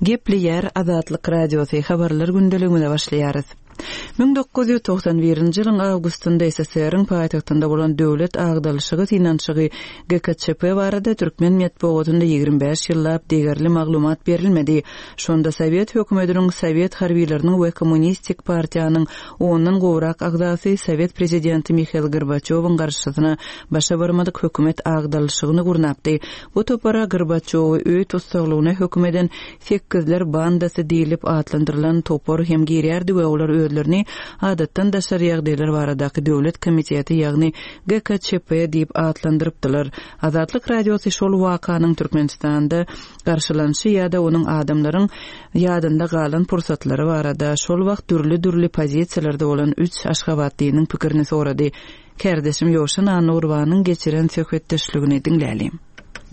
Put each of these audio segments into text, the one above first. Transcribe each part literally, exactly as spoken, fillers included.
Gepleýär Azatlyk Radiosy habarlar gündeligimize başlaýarys. müň dokuz ýüz togsan birinji ýylyň awgustynda S S R-iň paýtagtynda bolan döwlet agdalyşygy synanyşygy G K Ç P barada türkmen metbugatynda ýigrimi bäş ýyllap degerli maglumat berilmedi. Şonda Sowet hökümetiniň, Sowet harbileriniň we Kommunistik partiýanyň ondan gowrak agzasy Sowet prezidenti Mihail Gorbaçewiň garşysyna başa barmadyk hökümet agdalyşygyny gurnapdy. Bu topara Gorbaçewi öý tussaglygyna höküm eden Sekizler bandasy diýlip atlandyrylan topar hem girýärdi we olar özlerini adatdan daşary ýagdaýlar baradaky döwlet komiteti, ýagny G K Ç P diýip atlandyrypdylar. Azatlyk Radiosy şol wakanyň Türkmenistanda garşylanyşy ýa-da onuň adamlaryň ýadynda galan pursatlary barada şol wagt dürli-dürli pozisiýalarda bolan üç Aşgabatlynyň pikirini sorady. Kardeşim Ýowşan Anurbanyň geçiren söhbetdeşligini diňlälim.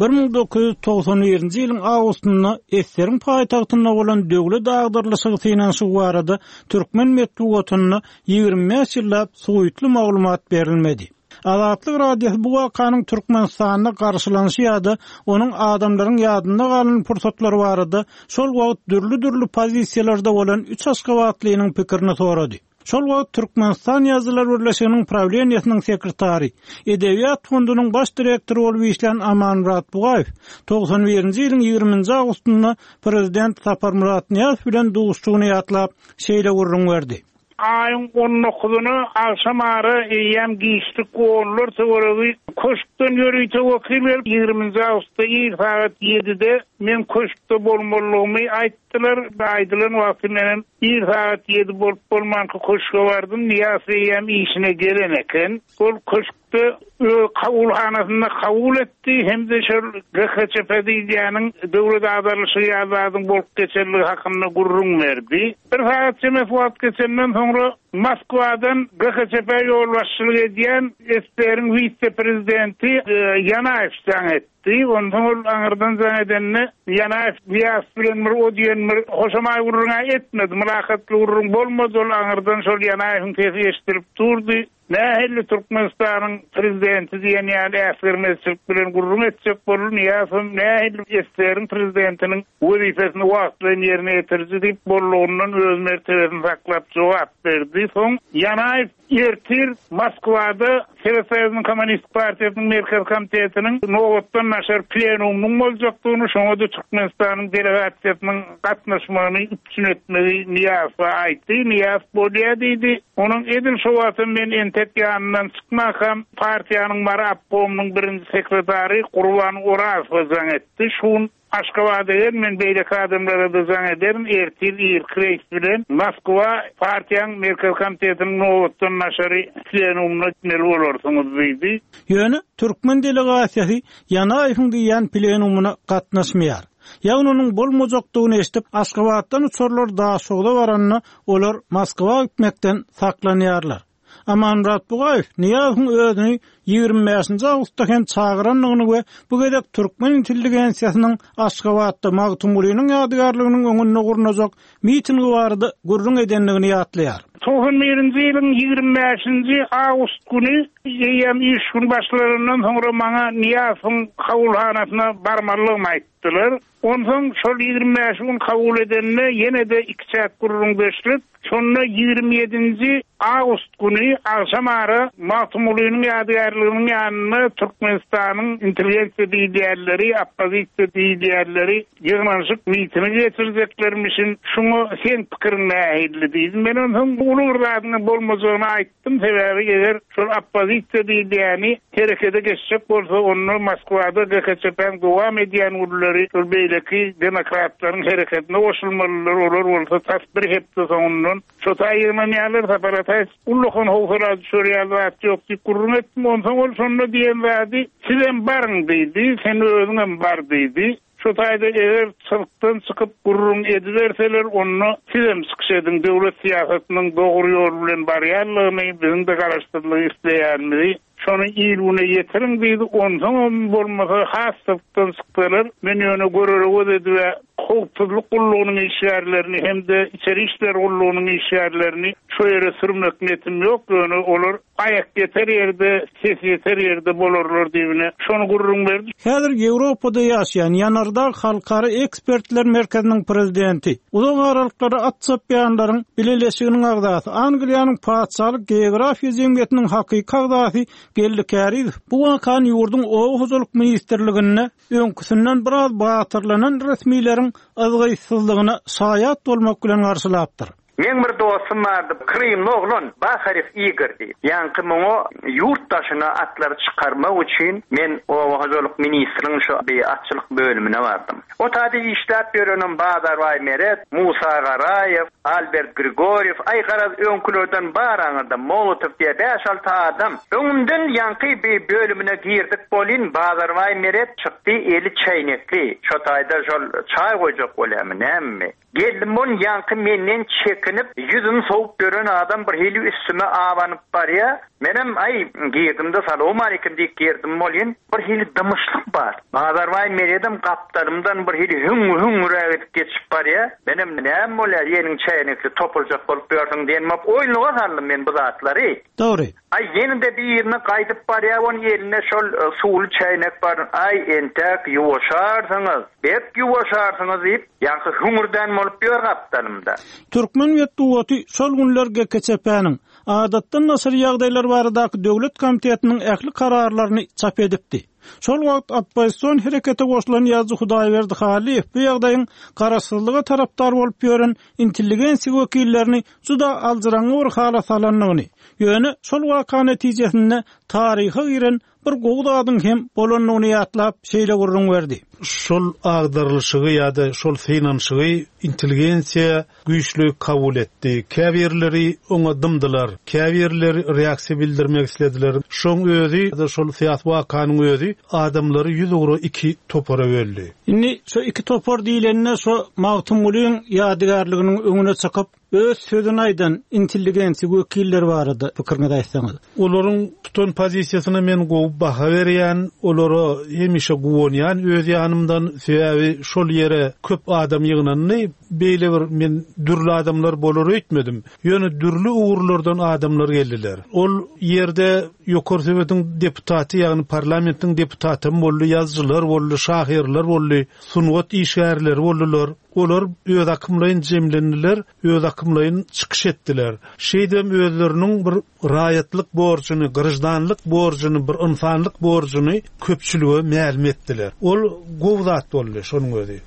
bir müň dokuz ýüz togsan birinji ýylyň awgustynda Eseriň paýtagtynda bolan döwlet agdarylyşygy synanyşygy barada türkmen metbugatynda ýigrimi bäş ýyllap suwutly maglumat berilmedi. Azatlyk Radiosy bu wakanyň Türkmenistanda garşylanyşy ýa-da onuň adamlaryň ýadynda galan pursatlary barada şol wagt dürli-dürli pozisiýalarda bolan üç Aşgabatlynyň pikirini sorady. Şol wagt Türkmenistan Ýazyjylar Birleşiginiň prawleniýasynyň sekretary, Edebiýat fondunyň baş direktory bolup işlän Amanmyrat Bugaýew togsan birinji ýylyň ýigriminji awgustynda prezident Saparmyrat Nyýazow bilen duşuşygyny ýatlap şeýle gürrüň berdi. Aýyň on dokuzyna akşam ara eýýäm giçlik onlar töweregi köşkden ýörite wekil gelip ýigriminji awgustda ir saat ýedide men köşkde bolmalygymy aýtdylar. Aýdylan wagty menem ir saat ýedi bolup bolmanky köşke bardym. Nyýazow eýýäm işine gelen eken. Ol köşkde öz kabulhanasynda kabul etdi. Hem de şol G K Ç P diýýäniň döwlet agdarylyşy ýazadyň bolup geçenligi hakynda gürrüň berdi. Bir saat çemesi wagt geçenden soňra Moskwadan G K Ç P ýolbaşçylyk edýän S S R-iň wise-prezidenti, e, Ýanaýew jaň etdi. Ondan ol aňyrdan jaň edende Ýanaýew Nyýazow bilen bir o diýen bir hoşamaý gürrüň etmedi. Mylakatly gürrüň bolmady. Ol aňyrdan şol Ýanaýewiň sesi eşidilip durdy. Nähili Türkmenistanyň prezidenti diýen ýaly äsgermezçilik bilen gürrüň etjek boldy. Nyýazow nähili S S R-iň prezidentiniň wezipesini wagtlaýyn ýerine ýetiriji diýip bollugyndan öz mertebesini saklap jogap berdi. Soň Ýanaýew ertir Moskwada Sowet Soýuzynyň Kommunist Partiýasynyň Merkez Komitetiniň nobatdan daşary plenumynyň boljakdygyny, şoňa da Türkmenistanyň delegasiýasynyň gatnaşmagyny üpjün etmegi Nyýazowa aýtdy. Nyýazow bolýar diýdi. Onuň edil şo wagtda men entek ýanyndan çykmakam partiýanyň Mary obkomynyň birinji sekretary Gurban Orazowa jaň etdi. Şun Aşgabada gel, men beýleki adamlara da jaň ederin, ertir irki reýs bilen Moskwa partiýanyň Merkez Komitetiniň nobatdan daşary plenumyna gitmeli bolarsyňyz diýdi. Ýöne türkmen delegasiýasy Ýanaýewiň diýen plenumyna gatnaşmaýar. Ýagny onuň bolmajakdygyny eşidip, Aşgabatdan uçarlar Daşogza baranda olar Moskwa gitmekden saklanýarlar. Amanmyrat Bugaýew Nyýazowyň özüni ýigrimi bäşinji awgustda hem çagyrandygyny we bu gezek türkmen intelligensiýasynyň Aşgabatda Magtymgulynyň ýadygärliginiň öňünde gurnajak mitingi barada gürrüň edendigini ýatlaýar. Togsan birinji ýylyň ýigrimi bäşinji awgust güni eýýäm iş gün başlaryndan soňra maňa Nyýazowyň kabulhanasyna barmalygymy aýtdylar. Onsoň şol ýigrimi bäş gün kabul edende ýene-de iki çäk gürrüň beşlik. Şonda ýigrimi ýedinji awgust güni akşam ara Magtymgulynyň ýadygärliginiň ýanynda Türkmenistanyň intelligensiýa diýýärleri, oppozisiýa diýýärleri ýygnanyşyk mitingi geçirjeklermişin. Şuňa sen pikiriň nähili diýdim. Men onsoň uly bir zadyň bolmajagyny aýtdym. Sebäbi eger şol oppozisiýa diýýäni herekete geçjek bolsa, onda Moskwada G K Ç P-niň dowam edýän günleri şol beýleki demokratlaryň hereketine goşulmalylar. Olar bolsa tas bir hepde soňundan şo taý ýygnanýarlar, Sapar Ataýew ullakan howsala düşürýär zat ýok diýip gürrüň etdim. Onsoň ol şonda diýen zady, sizem baryň diýdi, sen özüňem bar diýdi. Şo taýda eger çyrkdan çykyp gürrüň ediberseler, onda sizem çykyş ediň, döwlet syýasatynyň dogry ýol bilen barýanlygyny, biziň de garaşsyzlygy isleýänimizi şony il güne ýetiriň diýdi. Onsoňam bolmasa has çyrkdan çyksalar, men ýöne görere göz edip howpsuzlyk gullugynyň işgärlerini hem-de içeri işler gullugynyň işgärlerini şo ýere sürmek niýetim ýok, ýöne olar Aýak ýeter ýerde, ses ýeter ýerde bolarlar diýibine şony gürrüň berdi. Häzir Ýewropada ýaşaýan Ýanardag Halkara Ekspertler Merkeziniň prezidenti, uzak aralyklara at çapýanlaryň bileleşiginiň agzasy, Angliýanyň Patyşalyk Geografiýa jemgyýetiniň hakyky agzasy Geldi Kärizow bu wakany ýurduň Oba hojalyk ministrliginde öňküsinden biraz batyrlanan resmileriň yzgytsyzlygyna şaýat bolmak bilen garşylapdyr. Meň bir dostum bardy, Krymly oglan, Baharew Igor diýip. Ýaňky muňa ýurt daşyna atlary çykarmak üçin men Oba hojalyk ministriniň şu bir atçylyk bölümine bardym. O taýda işläp ýörenim Bazarbaý Meret, Musa Garaýew, Albert Grigoriew, aý garaz öňkülerden bar aňyrda Molotow diýe bäş-alty adam. Öňümden ýaňky bir bölümine girdik bolin, Bazarbaý Meret çykdy, eli çäýnekli. Şo taýda şol çaý goýjak bolýarmy, näme? Geldim on ýaňky menden çekinip, ýüzüm sowup ýören adam bir hili üstüme abanyp barýa. Menem aý girdim-de salam aleyküm diýip girdim bolin, bir hili dymyşlyk bar. Bazarbaý Meredem gapdalymdan bir hili hüň-hüňräk edip geçip barýa. Menem näme bolýar, ýeniň çäýnekli topuljak bolup ýörsüň diýen bolup oýunlyga saldym men bu zatlary. Dogry. Aý ýene-de bir ýerine gaýdyp barýa, on elinde şol e, suwly çäýnek bar. Aý entek ýuwaşarsyňyz, bek ýuwaşarsyňyz diýip, ýaňky hüňürden bolup ýör gapdalymda. Türkmen metbugaty şol günler G K Ç P-niň adatdan daşary ýagdaýlar baradaky döwlet komitetiniň ähli kararlaryny çap edipdi. Şol wagt oppozision herekete goşulan ýazyjy Hudaýberdi Halyýew bu ýagdaýyň garaşsyzlyga tarapdar bolup ýören intelligensiýa wekillerini juda aljyraňňy bir hala salandygyny, ýöne şol waka netijesinde taryha giren bir gowy zadyň hem bolandygyny ýatlap şeýle gürrüň berdi. Şol agdarylyşygy ýa-da şol synanyşygy intelligensiýa güýçli kabul etdi. Käbirleri oňa dymdylar, käbirleri reaksiýa bildirmek islediler. Şoň özi ýa-da şol syýasy wakanyň özi adamlary ýüz ugra iki topara böldi. Indi şu iki topar diýilende şu Magtymgulyň ýadygärliginiň öňüne çykyp öz sözüni aýdan intelligensiýa wekilleri barada pikiriňizi aýtsaňyz. Olaryň tutan pozisiýasyna men gowy baha berýän, olara hemişe guwanýan öz ýanymdan, sebäbi şol ýere köp adam ýygnandy. Beýle bir men dürli adamlar bolar öýtmedim. Ýöne dürli ugurlardan adamlar geldiler. Ol ýerde Ýokary Sowetiň deputaty, ýagny parlamentiň deputaty boldy, ýazyjylar boldy, şahyrlar boldy, sungat işgärleri boldular. Olar öz akymlaýyn jemlendiler, öz akymlaýyn çykyş etdiler. Şeýdem özleriniň bir raýatlyk borjuny, grajdanlyk borjuny, bir insanlyk borjuny köpçülige mälim etdiler. Ol gowy zat boldy şonuň özi.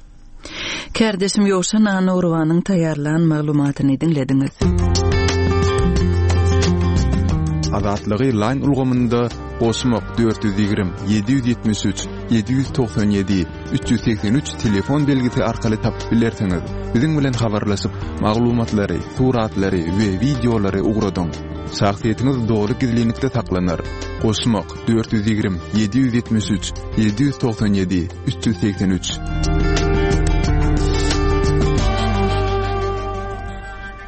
Kardeşim Ýowşan Anurwanyň taýýarlan maglumatyny diňlediňiz. Azatlygy line ulgamynda goşmak dört ýüz ýigrimi, ýedi ýüz ýetmiş üç, ýedi ýüz togsan ýedi, üç ýüz segsen üç telefon belgisi arkaly tapyp bilersiňiz. Biziň bilen habarlaşyp, maglumatlary, suratlary we wideolary ugradyň. Şahsyýetiňiz doly gizlinlikde saklanar. Goşmak dört ýüz ýigrimi, ýedi ýüz ýetmiş üç, ýedi ýüz togsan ýedi, üç ýüz segsen üç.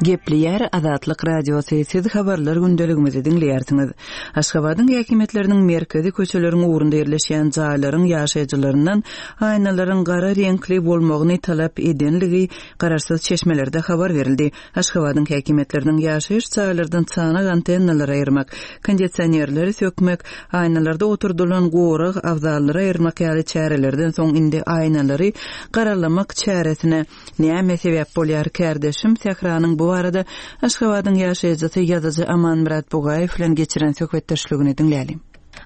Gepleýär Azatlyk Radiosy, siz habarlar gündeligimizi diňleýärsiňiz. Aşgabadyň häkimiýetleriniň merkezi köçeleriň ugrunda ýerleşýän jaýlaryň ýaşaýjylaryndan aýnalaryň gara reňkli bolmagyny talap edenligi garaşsyz çeşmelerde habar berildi. Aşgabadyň häkimiýetleriniň ýaşaýyş jaýlardan çanak antennalary aýyrmak, kondisionerleri sökmek, aýnalarda oturdylan gorag abzallary aýyrmak ýaly çärelerden soň indi aýnalary garalamak çäresine näme sebäp bolýar? Kardeşim Sähranyň bu arada Aşgabadyň ýaşaýjysy ýazyjy Amanmyrat Bugaýew bilen geçiren söhbetdeşligini diňlälim.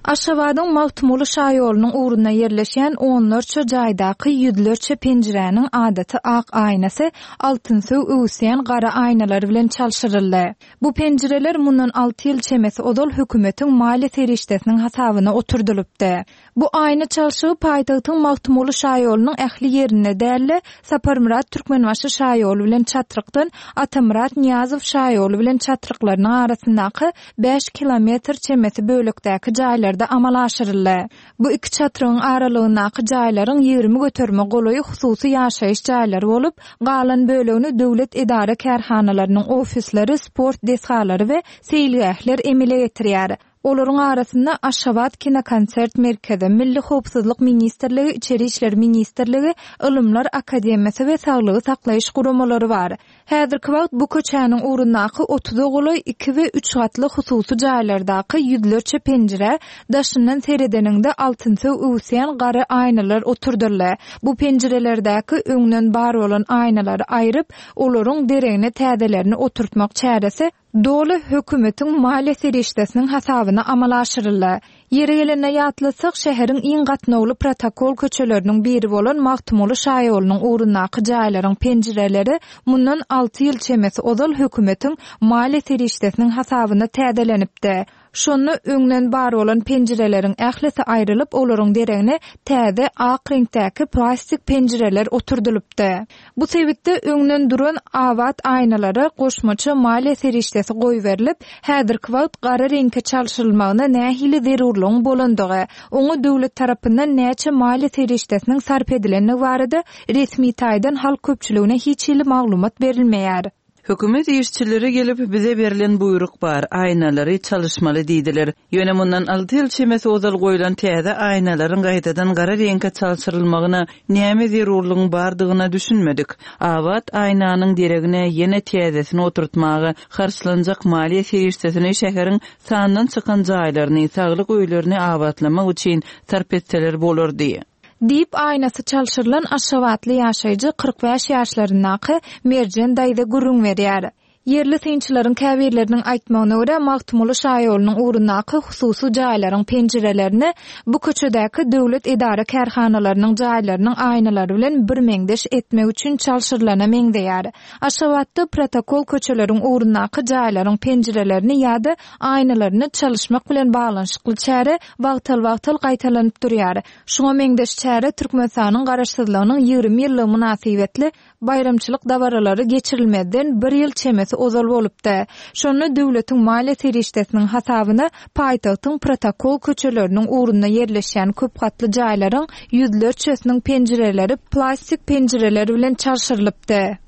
Aşgabadyň Magtymguly şaýolunyň ugrunda ýerleşen onlarça jaýdaky ýüzlerçe penjiräniň adaty ak aýnasy altynsöw öwüsýän gara aýnalar bilen çalşyryldy. Bu penjireler mundan alty ýyl çemesi ozal hökümetiň maliýe serişdesiniň hasabyna oturdylypdy. Bu aýna çalşygy paýtagtyň Magtymguly şaýolunyň ähli ýerinde däl-de, Saparmyrat Türkmenbaşy şaýoly bilen çatrykdan Atamyrat Nyýazow şaýoly bilen çatryklarynyň arasyndaky bäş kilometr çemesi bölekdäki jaýlarda amala aşyryldy. Bu iki çatrygyň aralygyndaky jaýlaryň ýigrimi göterime golaýy hususy ýaşaýyş jaýlary bolup, galan bölegini döwlet edara kärhanalarynyň ofisleri, sport desgalary we seýilgähler emele getirýär. Olaryň arasynda Aşgabat kinokonsert merkezi, Milli howpsuzlyk ministrligi, Içeri işler ministrligi, Ylymlar akademiýasy we saglygy saklaýyş guramalary bar. Häzirki wagt bu köçäniň ugrundaky otuza golaý iki we üç gatly hususy jaýlardaky ýüzlerçe penjirä daşyndan seredeniňde altynsöw öwüsýän gara aýnalar oturdyldy. Bu penjirelerdäki öňden bar bolan aýnalary aýryp, olaryň deregine täzelerini oturtmak çäresi doly hökümetiň maliýe serişdesiniň hasabyna amala aşyryldy. Ýeri gelende ýatlatsak, şäheriň iň gatnawly protokol köçeleriniň biri bolan Magtymguly şaýolunyň ugrundaky jaýlaryň penjireleri mundan alty ýyl çemesi ozal hökümetiň maliýe serişdesiniň hasabyna täzelenipdi. Şonda öňden bar bolan penjireleriň ählisi aýrylyp, olaryň deregine täze ak reňkdäki plastik penjireler oturdylypdy. Bu sebitde öňden duran abat aýnalara goşmaça maliýe serişdesi goýberilip, häzirki wagt gara reňke çalşyrylmagyna nähili zerurlygyň bolandygy, oňa döwlet tarapyndan näçe maliýe serişdesiniň sarp edilendigi barada resmi taýdan halk köpçüligine hiç hili maglumat berilmeýär. Hökümet işçileri gelip bize berlen buýruk bar, aýnalary çalyşmaly diýdiler. Ýöne mundan alty ýyl çemesi ozal goýlan täze aýnalaryň gaýtadan gara reňke çalşyrylmagyna näme zerurlygyň bardygyna düşünmedik. Abat aýnanyň deregine ýene täzesini oturtmaga harçlanjak maliýe serişdesini şäheriň sandan çykan jaýlaryny, saglyk öýlerini abatlamak üçin sarp etseler bolardy. Diýip aýnasy çalşyrylan Aşgabatly ýaşaýjy kyrk bäş ýaşlaryndaky Merjen daýza gürrüň berýär. Ýerli synçylaryň käbirleriniň aýtmagyna görä, Magtymguly şaýolunyň ugrundaky hususy jaýlaryň penjirelerini bu köçedäki döwlet edara kärhanalarynyň jaýlarynyň aýnalary bilen birmeňzeş etmek üçin çalşyrylana meňzeýär. Aşgabatda protokol köçeleriň ugrundaky jaýlaryň penjirelerini ýa-da aýnalaryny çalyşmak bilen baglanyşykly çäre wagtal-wagtal gaýtalanyp durýar. Şuňa meňzeş çäre Türkmenistanyň garaşsyzlygynyň ýigrimi ýyllygy mynasybetli baýramçylyk dabaralary geçirilmezden bir ýyl çemesi ozal bolupdy. Şonda döwletiň maliýe serişdesiniň hasabyna paýtagtyň protokol köçeleriniň ugrunda ýerleşýän köp gatly jaýlaryň ýüzlerçesiniň penjireleri plastik penjireler bilen çalşyrylypdy.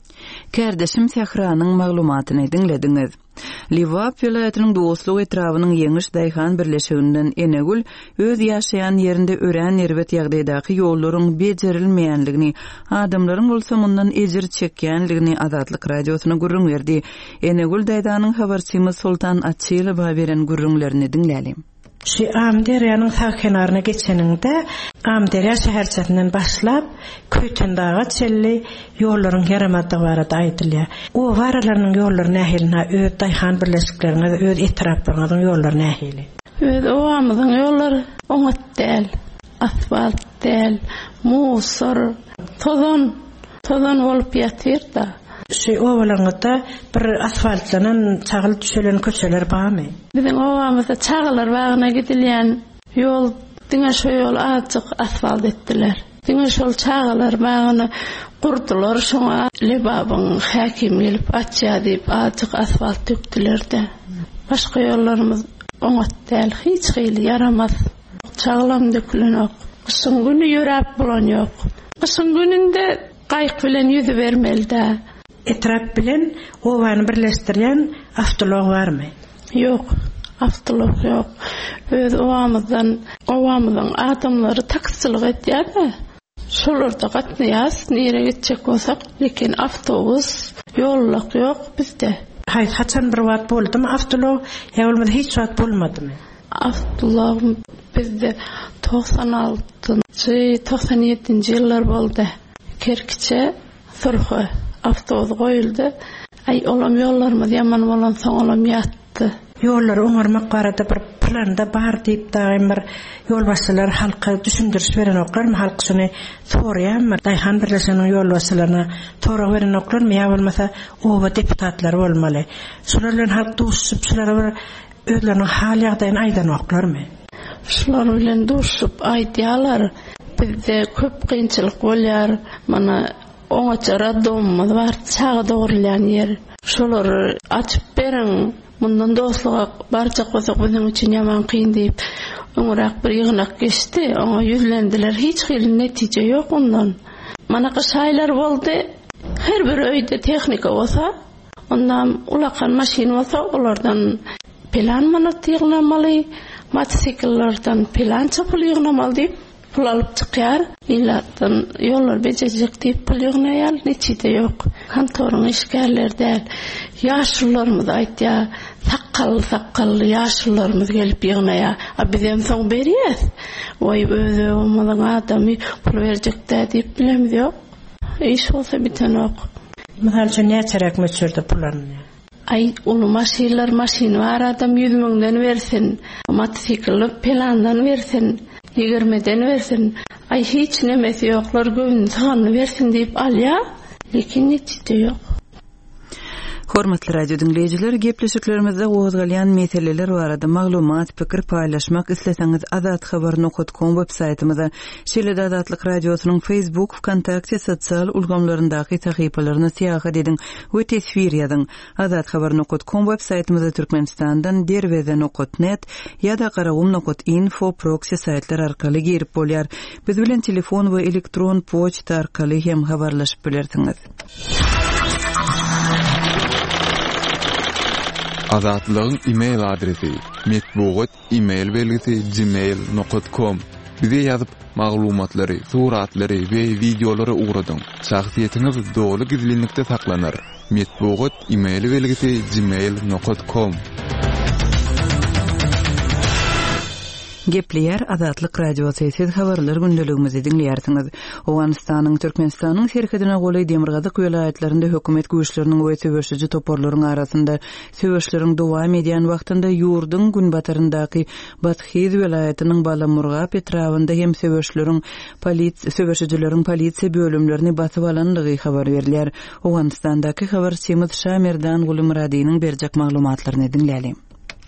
Kärdeşim Sähranyň maglumatyny diňlediňiz. Lebap welaýatynyň Dostluk etrabynyň Ýeňiş Daýhan birleşiginden Enegül öz ýaşaýan ýerinde örän erbet ýagdaýdaky ýollaryň bejerilmeýänligini, adamlaryň bolsa mundan ejir çekýänligini Azatlyk radiosyna gürrüň berdi. Enegül daýzanyň habarçymyz Sultan Açylowa beren gürrüňlerini diňlälim. Şu Amderýanyň sag kenaryna geçeninde Amderýa şäherçesinden başlap Köýtendaga çenli ýollaryň ýaramadygy barada aýdylýar. Oba aralarynyň ýollary nähili? Ha, öz daýhan birleşikleriňiz, öz etraplaryňyzyň ýollary nähili? Öz obamyzyň ýollary oňat däl, asfalt däl, musur, tozan, tozan bolup ýatyr-da. Şu obalaryňyzda bir asfaltlanan, çagyl düşelen köçeler barmy? Biziň obamyzda çagalar bagyna gidilýän ýol diňe şu ýol azajyk asfalt etdiler. Diňe şol çagalar bagyny gurdular, şoňa Lebabyň häkimi gelip açýar diýip azajyk asfalt dökdüler-de. Başga ýollarymyz oňat däl, hiç hili ýaramaz. Çaglam dökülenok. Gyşyň güni ýöräp bolan ýok. Gyşyň gününde gaýyk bilen ýüzü bermeli-dä. Etrap bilen obany birleşdirýän awtoulag barmy? Ýok, awtoulag ýok. Öz obamyzdan, obamyzyň adamlary taksiçilik etýär-de. Şolarda gatnaýas, nirä gitjek bolsak, lekin awtobus, ýollak ýok bizde. Haý, haçan bir wagt boldumy awtoulag, ýa bolmasa hiç wagt bolmadymy? Awtoulag bizde togsan altynjy, togsan ýedinji ýyllar boldy. Kerkiçe, Surha awtobus goýuldy. Aý, olam ýollarymyz ýaman bolansoň olam ýatdy. Ýollary oňarmak barada bir planda bar diýip daýym bir ýolbaşçylar halka düşündiriş berenoklarmy, halk şuny soraýarmy? Daýhan birleşiginiň ýolbaşçylaryna sorag berenoklarmy ýa bolmasa oba deputatlary bolmaly. Şular bilen halk duşup, şulara bir özleriniň hal ýagdaýyny aýdanoklarmy? Şular bilen duşup aýdýarlar. Bizde köp kynçylyk bolýar. Mana oňaça radomumyz bar, çaga dogrulýan ýer. Şolary açyp beriň. Mundan dostluga barjak bolsak biziň üçin ýaman kyn diýip, öňräk bir ýygnak geçdi. Oňa ýüzlendiler. Hiç hili netije ýok ondan. Mana gyş aýlary boldy. Her bir öýde tehnika bolsa, ondan ulakan maşyn bolsa, olardan Pylan manat ýygnamaly, motosikillerden pylança pul ýygnamaly diýip, pul alyp çykýar. Ilatdan ýollar bejerjek diýip pul ýygnaýar, netije ýok. Kontoryň işgärleri däl. Ýaşulularymyz aýtýar, sakgally sakgally ýaşulularymyz gelip ýygnaýar. A bizem soň berýäs. Waý öz obamyzyň adamy pul berjek-dä diýip bilemiz ýok. Iş bolsa bitenok. Mysal üçin näçeräk möçberde pul alynýar? Aý, uly maşynlar, maşyny bar adam ýüz müňden bersin, motosikli pelandan bersin, ýigirmeden bersin. Aý, hiç nemesi ýoklar göwnüni syganyny bersin diýip alýar, lekin netije ýok. Hormatly radio diňleýjiler, gepleşiklerimizde gozgalýan meseleler barada maglumat, pikir paýlaşmak isleseňiz azathabar nokat com web saýtymyza, şeýle-de Azatlyk Radiosynyň Facebook, VKontakte sosial ulgamlaryndaky sahypalaryna syýahat ediň we teswir ýazyň. Azathabar nokat com web saýtymyza Türkmenistandan derweze nokat net ýa-da garagum nokat info proxy saýtlar arkaly girip bolýar. Biz bilen telefon we elektron poçta arkaly hem habarlaşyp bilersiňiz. Azatlygyň e-mail adresi metbugat e-mail belgisi gmail nokat com. Bize ýazyp maglumatlary, suratlary we wideolary ugradyň. Şahsyýetiňiz doly gizlinlikde saklanar. Metbugat e-mail belgisi gmail nokat com. Gepleýär Azatlyk Radiosy, siz habarlar gündeligimizi diňleýärsiňiz. Owganystanyň Türkmenistanyň serhedine golaý demirgazyk welaýatlarynda hökümet güýçleriniň we söweşiji toparlaryň arasynda söweşleriň dowam edýän wagtynda ýurduň günbataryndaky Bathyz welaýatynyň Balamurgap etrabynda hem söweşleriň polisiýa söweşijileriň polisiýa bölümlerini basyp alandygy habar berilýär. Owganystandaky habarçymyz Şamerdan Gulumyradynyň berjek maglumatlaryny diňlälim.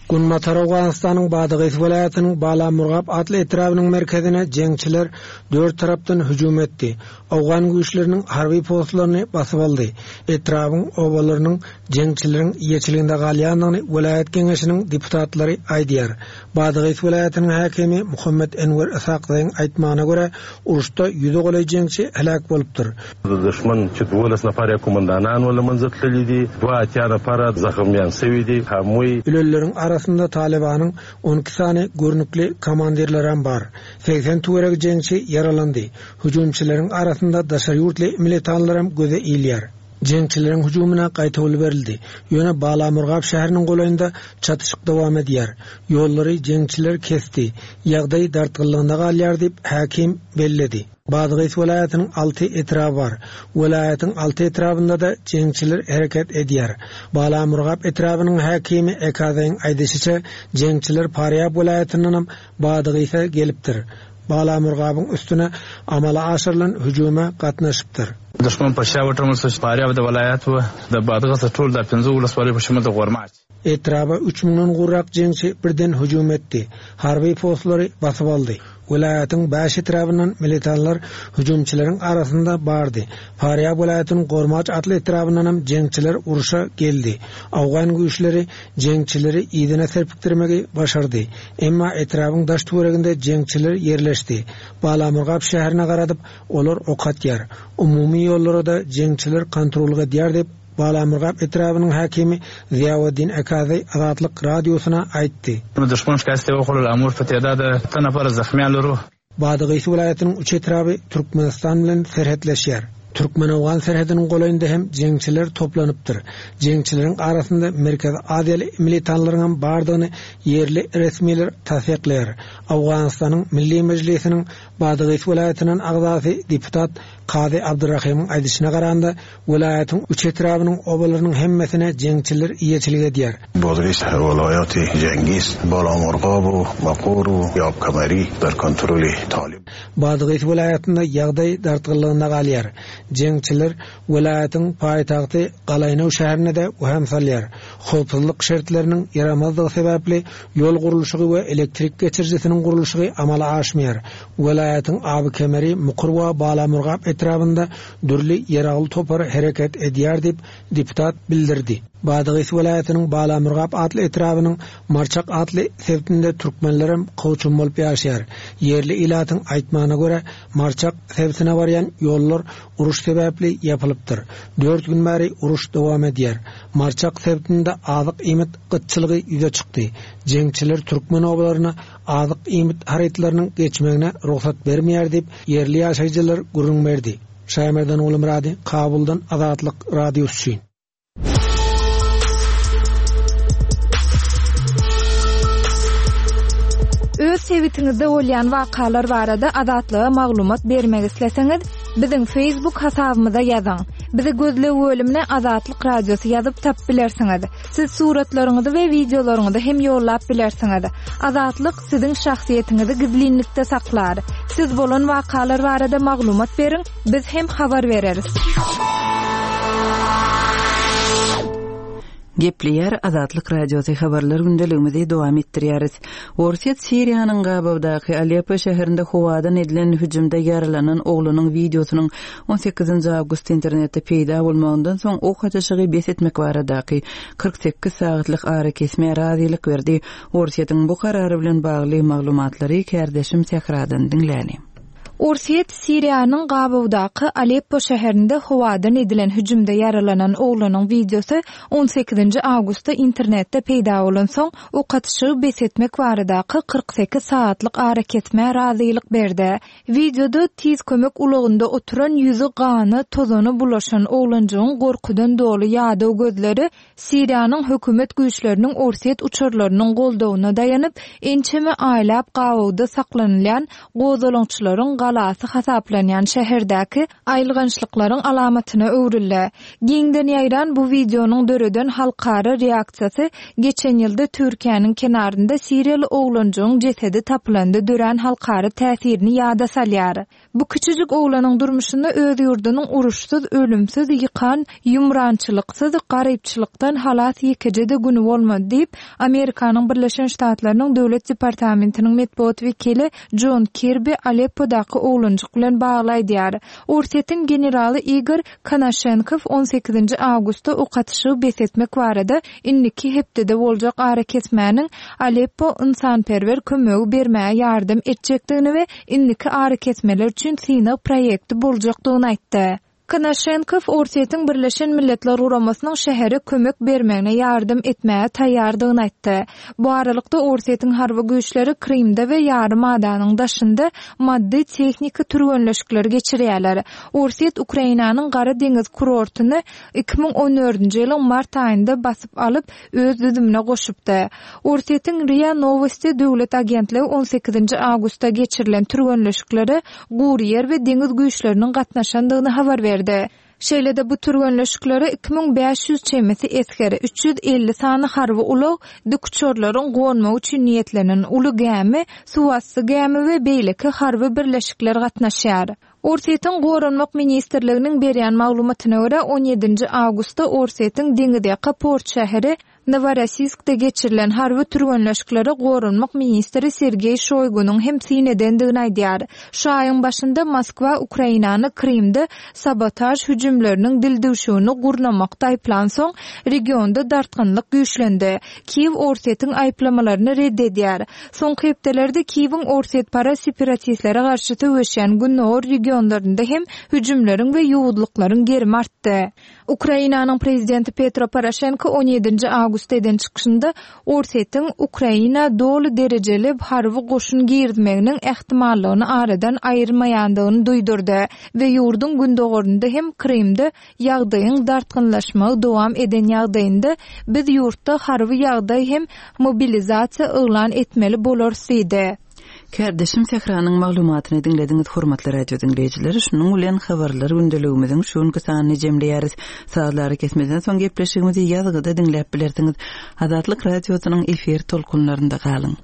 Günbatar Owganystanyň Badagys welaýatynyň Balamurgap atly etrabynyň merkezine jeňçiler dört tarapdan hüjüm etdi. Owgan güýçleriniň harby postlaryny basyp aldy. Etrabyň obalarynyň jeňçileriň eýeçiliginde galýandygyny welaýat geňeşiniň deputatlary aýdýar. Badagys welaýatynyň häkimi Muhammed Enwer Isakzaýyň aýtmagyna görä, uruşda ýüze golaý jeňçi heläk bolupdyr. Düşman çi duolas nafar komandanan wala manzil tlidi, dua atýana para zahmyan sewidi, hamuy Ölenleriň arasynda Talibanyň on iki sany görnükli komandirleri bar. Seksen töweregi jeňçi ýaralandy. Hüjümçileriň arasynda daşary ýurtly militanlaram göze ilýär. Jeňçileriň hüjümine gaýtawul berildi. Ýöne Balamurgap şäheriniň golaýynda çatyşyk dowam edýär. Ýollary jeňçiler kesdi. Ýagdaý dartgynlygynda galýar diýip häkim belledi. Badagys welaýatynyň alty etraby bar. Welaýatyň alty etrabynda da jeňçiler hereket edýär. Balamurgap etrabynyň häkimi Ekazaýyň aýdyşyça, jeňçiler Parýab welaýatyndan hem Badagysa gelipdir. Balamurgabyň üstüne amala aşyrylan hüjüme gatnaşypdyr. Düşman paşa wata Parýabda welaýat we da Badagys tul da pinzu uluswary hüjüme de gormaç. Etraba üç müňden gowrak jeňçi birden hüjüm etdi. Harby postlary basyp aldy. Welaýatyň bäş etrabyndan militanlar hüjümçileriň arasynda bardy. Parýab welaýatynyň Gormaç atly etrabyndan hem jeňçiler uruşa geldi. Awgan güýçleri jeňçileri yzyna serpikdirmegi başardy. Emma etrabyň daş töwereginde jeňçiler ýerleşdi. Balamurgap şäherine garadyp, olar ok atýar. Umumy ýollara da jeňçiler kontrol edýär diýip Balamurgap etrabynyň häkimi Ziýaweddin Ekazy Azatlyk radiosyna aýtdy. Düşman şikayet okulul amur fatiyada tanafar zahmiyaları. Badagys welaýatynyň üç etraby Türkmenistan bilen serhetleşýär. Türkmen-Owgan serhediniň golaýynda hem jeňçiler toplanypdyr. Jeňçileriň arasynda Merkezi Aziýaly militanlaryň hem bardygyny ýerli resmiler tassyklaýar. Owganystanyň Milli Mejlisiniň Badagys welaýatynyň agzasy deputat Kazy Abdurrahimyň aýdyşyna garanda, welaýatyň üç etrabynyň obalarynyň hemmesine jeňçiler eýeçilik edýär. Badagys welaýaty Cengiz, Balamurgab, Maqur, Ýabkamari dar kontroli Talib. Badagys welaýatynda ýagdaý dartgynlygynda galýar. Jeňçiler welaýatyň paýtagty Galaýnow şäherine de waham salýar. Howpsuzlyk şertleriniň ýaramazlygy sebäpli ýol gurluşygy we elektrik geçirijisiniň gurluşygy amala aşmaýar. Welaýatyň Aby Kemeri, Mukur we Balamurgap etrabynda dürli ýaragly topar hereket edýär diýip deputat bildirdi. Badagys welaýatynyň Balamurgap atly etrabynyň Marçak atly sebitinde türkmenlerem kowçum bolup ýaşaýar. Ýerli ilatyň aýtmagyna görä, Marçak sebitine barýan ýollar uruş sebäpli ýapylypdyr. Dört gün bäri uruş dowam edýär. Marçak sebitinde azyk iýmit gytçylygy ýüze çykdy. Jeňçiler türkmen obalaryna azyk iýmit harytlarynyň geçmegine rugsat bermeýär diýip, ýerli ýaşaýjylar gürrüň berdi. Şaýmerdan Gulmyrady, Kabuldan Azatlyk Radiosy üçin. Öz sebitiňizde bolýan wakalar barada Azatlyga maglumat bermek isleseňiz, biziň Facebook hasabymyza ýazyň. Bizi gözleg bölümine Azatlyk Radiosy ýazyp tapyp bilersiňiz. Siz suratlaryňyzy we wideolaryňyzy hem ýollap bilersiňiz. Azatlyk siziň şahsyýetiňizi gizlinlikde saklar. Siz bolan wakalar barada maglumat beriň, biz hem habar bereris. Gepleýär Azatlyk Radiosy habarlar gündeligimizi dowam etdirýäris. Orsýet Siriýanyň gabawdaky Aleppo şäherinde howadan edilen hüjümde ýaralanan oglunyň wideosynyň on sekizinji awgust internetde peýda bolmagyndan soň ok atyşygy bes etmek baradaky kyrk sekiz sagatlyk arakesmä razylyk berdi. Orsýetiň bu karary bilen bagly maglumatlary kärdeşim Sähradan diňläli. Orsýet Siriýanyň gabawdaky Aleppo şäherinde howadan edilen hüjümde ýaralanan oglunyň wideosy on sekizinji awgustda internetde peýda bolan soň ok atyşygy bes etmek baradaky kyrk sekiz sagatlyk arakesmä razylyk berdi. Wideoda tiz kömek ulagynda oturan ýüzi gana, tozana bulaşan oglanjygyň gorkudan doly ýadaw gözleri Siriýanyň hökümet güýçleriniň Orsýet uçarlarynyň goldawyna daýanyp, ençeme aýlap gabawda saklanylýan gozgalaňçylaryň galasy hasaplanýan şäherdäki aýylgançlyklaryň alamatyna öwrüldi. Giňden ýaýran bu wideonyň döreden halkara reaksiýasy geçen ýylda Türkiýäniň kenarynda Siriýaly oglanjygyň jesedi tapylanda dörän halkara täsirini ýada salýar. Bu kiçijik oglanyň durmuşynda öz ýurdunyň uruşsyz, ölümsiz, ýykan, ýumrançylyksyz, garypçylykdan halas ýekeje-de güni bolmady diýip, Amerikanyň Birleşen Ştatlarynyň Döwlet departamentiniň metbugat wekili John Kirby Aleppodaky oglanjyk bilen bagly aýdýar. Orsýetiň generaly Igor Konaşenkow on sekizinji awgustda ok atyşygy bes etmek barada indiki hepdede boljak arakesmäniň Aleppo ynsanperwer kömegi bermäge ýardam etjekdigini we indiki arakesmeler üçin synag proýekti boljakdygyny aýtdy. Konaşenkow Orsýetiň Birleşen Milletler Guramasynyň şähere kömek bermegine ýardam etmäge taýýardygyny aýtdy. Bu aralykda Orsýetiň harby güýçleri Krymda we ýarym adanyň daşynda maddy tehniki türgenleşikleri geçirýärler. Orsýet Ukrainanyň Gara deňiz kurortyny iki müň on dördünji ýylyň mart aýynda basyp alyp öz düzümine goşupdy. Orsýetiň RIA Novosti döwlet agentligi on sekizinji awgustda geçirilen türgenleşiklere gury ýer we deňiz güýçleriniň gatnaşandygyny habar berdi. Şeýle-de bu türgenleşiklere iki müň bäş ýüz çemesi esger, üç ýüz elli sany harby ulag, dikuçarlaryň gonmagy üçin niýetlenen uly gämi, suwasty gämi we beýleki harby birleşikler gatnaşýar. Orsýetiň Goranmak ministrliginiň berýän maglumatyna görä on ýedinji awgustda Orsýetiň deňizýaka port şäheri Novorossiyskda geçirilen harby türgenleşiklere Goranmak ministri Sergeý Şoýgunyň hem syn edendigini aýdýar. Şu aýyň başynda Moskwa Ukrainany Krymda sabotaž hüjümleriniň dildüwşügini gurnamakda aýyplan soň regionda dartgynlyk güýçlendi. Kiýew Orsýetiň aýyplamalaryny red edýär. Soňky hepdelerde Kiýewiň Orsýet para separatistlere garşy söweşýän gündogar regionlarynda hem hüjümleriň we ýowuzlyklaryň gerimi artdy. Ukrainanyň prezidenti Petro Poroşenko on ýedinji awgustda eden çykyşynda Orsýetiň Ukraina doly derejeli harby goşun girizmeginiň ähtimallygyny aradan aýyrmaýandygyny duýdurdy we ýurduň gündogarynda hem Krymda ýagdaýyň dartgynlaşmagy dowam eden ýagdaýynda biz ýurtda harby ýagdaý hem mobilizasiýa yglan etmeli bolarys diýdi. Kärdeşim Sähranyň maglumatyny diňlediňiz, hormatly radio diňleýjiler. Şunuň bilen habarlar gündeligimiziň şu günki sanyny jemleýäris. Sazlary kesmeden soň gepleşigimizi ýazgyda diňläp bilersiňiz. Azatlyk radiosynyň efir tolkunlarynda galyň.